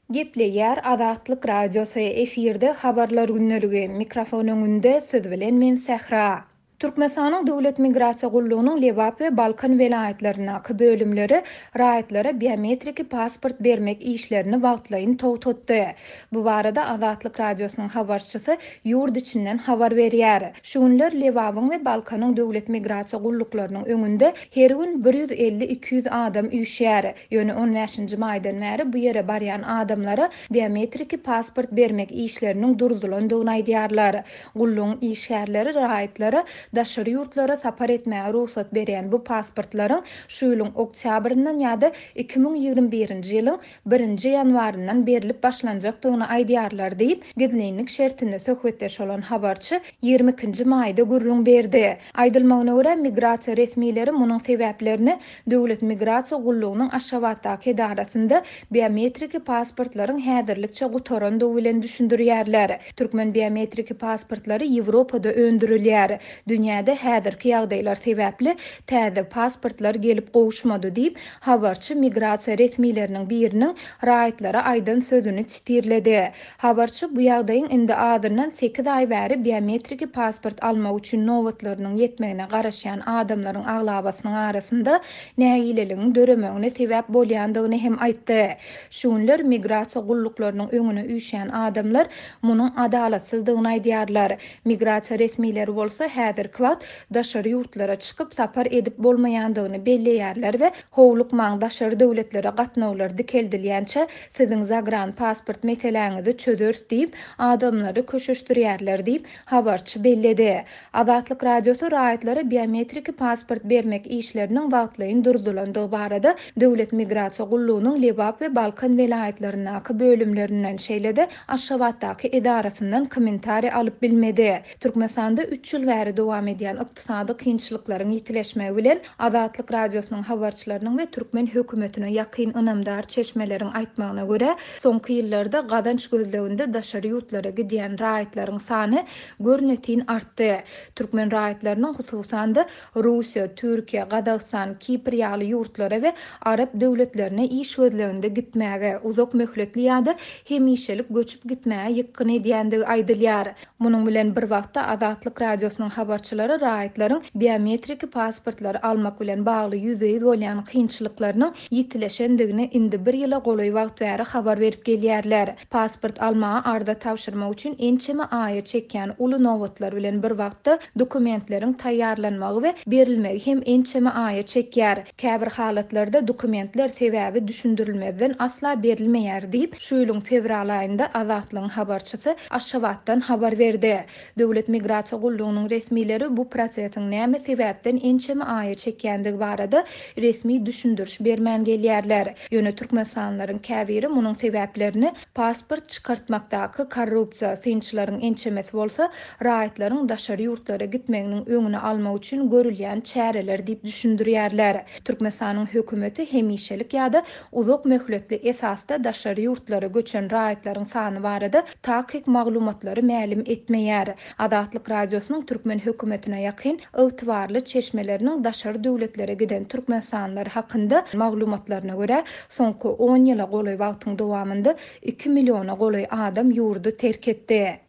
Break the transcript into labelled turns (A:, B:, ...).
A: Gepleýär Azatlyk Radiosy, efirde Habarlar gündeligi, mikrofon öňünde siz bilen men Sähra. Türkmenistanyň Döwlet migrasiýa gullugynyň Lebap we Balkan welaýatlaryndaky bölümleri raýatlara biometriki pasport bermek işlerini wagtlaýyn togtatdy. Bu barada Azatlyk Radiosynyň habarçysy ýurt içinden habar berýär. Şu günler Lebabyň we Balkanyň döwlet migrasiýa gulluklarynyň öňünde her gün bir 150-200 adam üýşýär. Ýöne on bäşinji maýdan bäri bu ýere barýan adamlara biometriki pasport bermek işleriniň durzulandygyny aýdýarlar. Gullugyň işgärleri raýatlara daşary ýurtlara sapar etmäge rugsat berýän bu pasportlaryň şu ýylyň oktýabryndan ýa-da 2021-nji ýylyň birinji ýanwaryndan berlip başlanjakdygyny aýdýarlar diýip, gizlinlik şertinde söhbetdeş bolan habarçy 22-nji maýda gürrüň berdi. Aýdylmagyna görä, migrasiýa resmileri munuň sebäplerini Döwlet migrasiýa gullugynyň Aşgabatdaky edarasynda biometriki pasportlaryň häzirlikçe gutarandygy bilen düşündirýärler. Türkmen biometriki pasportlary Ýewropada öndürilýär. Dünýäde häzirki ýagdaýlar sebäpli täze pasportlar gelip gowuşmady diýip, habarçy migrasiýa resmileriniň biriniň raýatlara aýdan sözüni sitirledi. Habarçy bu ýagdaýyň indi azyndan sekiz aý bäri biometriki pasport almak üçin nobatlarynyň ýetmegine garaşýan adamlaryň aglabasynyň arasynda nägileligiň döremegine sebäp bolýandygyny hem aýtdy. Şu günler migrasiýa gulluklarynyň öňüne üýşýän adamlar munuň adalatsyzdygyny aýdýarlar. Migrasiýa resmileri bolsa häzirki wagt daşary ýurtlara çykyp sapar edip bolmaýandygyny belleýärler we howlukmaň daşary döwletlere gatnawlar dikeldilýänçä Siziň zagran pasport meseläňizi çözeris diýip, adamlary köşeşdirýärler diýip, habarçy belledi. Azatlyk Radiosy raýatlara biometriki pasport bermek işleriniň wagtlaýyn durzulandygy barada Döwlet migrasiýa gullugynyň Lebap we Balkan welaýatlaryndaky bölümlerinden, şeýle-de Aşgabatdaky edarasyndan kommentariý alyp bilmedi. Türkmenistanda üç ýyl bäri dowam edýän ykdysady kynçylyklaryň ýitileşmegi bilen, Azatlyk Radiosynyň habarçylarynyň we türkmen hökümetine ýakyn ynamdar çeşmeleriň aýtmagyna görä, soňky ýyllarda gazanç gözleginde daşary ýurtlara gidýän raýatlaryň sany görnetin artdy. Türkmen raýatlarynyň, hususan-da, Russiýa, Türkiýe, Gazagystan, Kipr ýaly ýurtlara we arap döwletlerine iş gözleginde gitmäge, uzak möhletli ýa-da hemişelik göçüp gitmäge ýykgyn edýändigi aýdylýar. Munuň bilen bir wagtda, Azatlyk Radiosynyň habarçylary raýatlaryň biometriki pasportlary almak bilen bagly ýüzbe-ýüz bolýan kynçylyklarynyň ýitileşendigini indi bir ýyla golaý wagt bäri habar berip gelýärler. Pasport almaga arza tabşyrmak üçin ençeme aýa çekýän uly nobatlar bilen bir wagtda dokumentleriň taýýarlanmagy we berilmegi hem ençeme aýa çekýär. Käbir halatlarda dokumentler sebäbi düşündirilmezden asla berilmeýär diýip, şu ýylyň fewral aýynda Azatlygyň habarçysy Aşgabatdan habar berdi. Döwlet migrasiýa gullugynyň resmileri bu prosesiň näme sebäpden ençeme aýa çekýändigi barada resmi düşündiriş bermän gelýärler. Ýöne türkmenistanlylaryň käbiri munuň sebäplerini pasport çykartmakdaky korrupsiýa, synçylaryň ençemesi bolsa raýatlaryň daşary ýurtlara gitmeginiň öňüni almak üçin görülýän çäreler diýip düşündirýärler. Türkmenistanyň hökümeti hemişelik ýa-da uzak möhletli esasda daşary ýurtlara göçen raýatlaryň sany barada takyk maglumatlary mälim etmeýär. Azatlyk Radiosynyň türkmen hökümetine ýakyn ygtybarly çeşmeleriniň daşary döwletlere giden türkmenistanlylar hakynda maglumatlaryna görä, soňky on ýyla golaý wagtyň dowamynda iki milliona golaý adam ýurdy terk etdi.